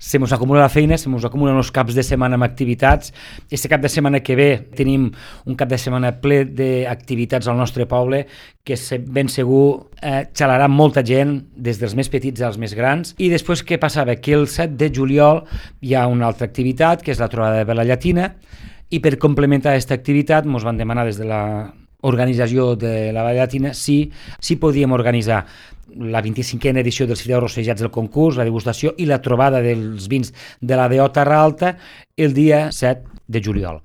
se mos acumula la feina, se mos acumulen els caps de setmana amb activitats. Este cap de setmana que ve tenim un cap de setmana ple d'activitats al nostre poble que ben segur xalarà molta gent, des dels més petits als més grans. I després què passava? Que el 7 de juliol hi ha una altra activitat, que és la trobada de vela llatina, i per complementar aquesta activitat ens van demanar des de l'organització de la vela llatina si podíem organitzar la 25a edició dels fideus rossejats del concurs, la degustació i la trobada dels vins de la DO Terra Alta el dia 7 de juliol.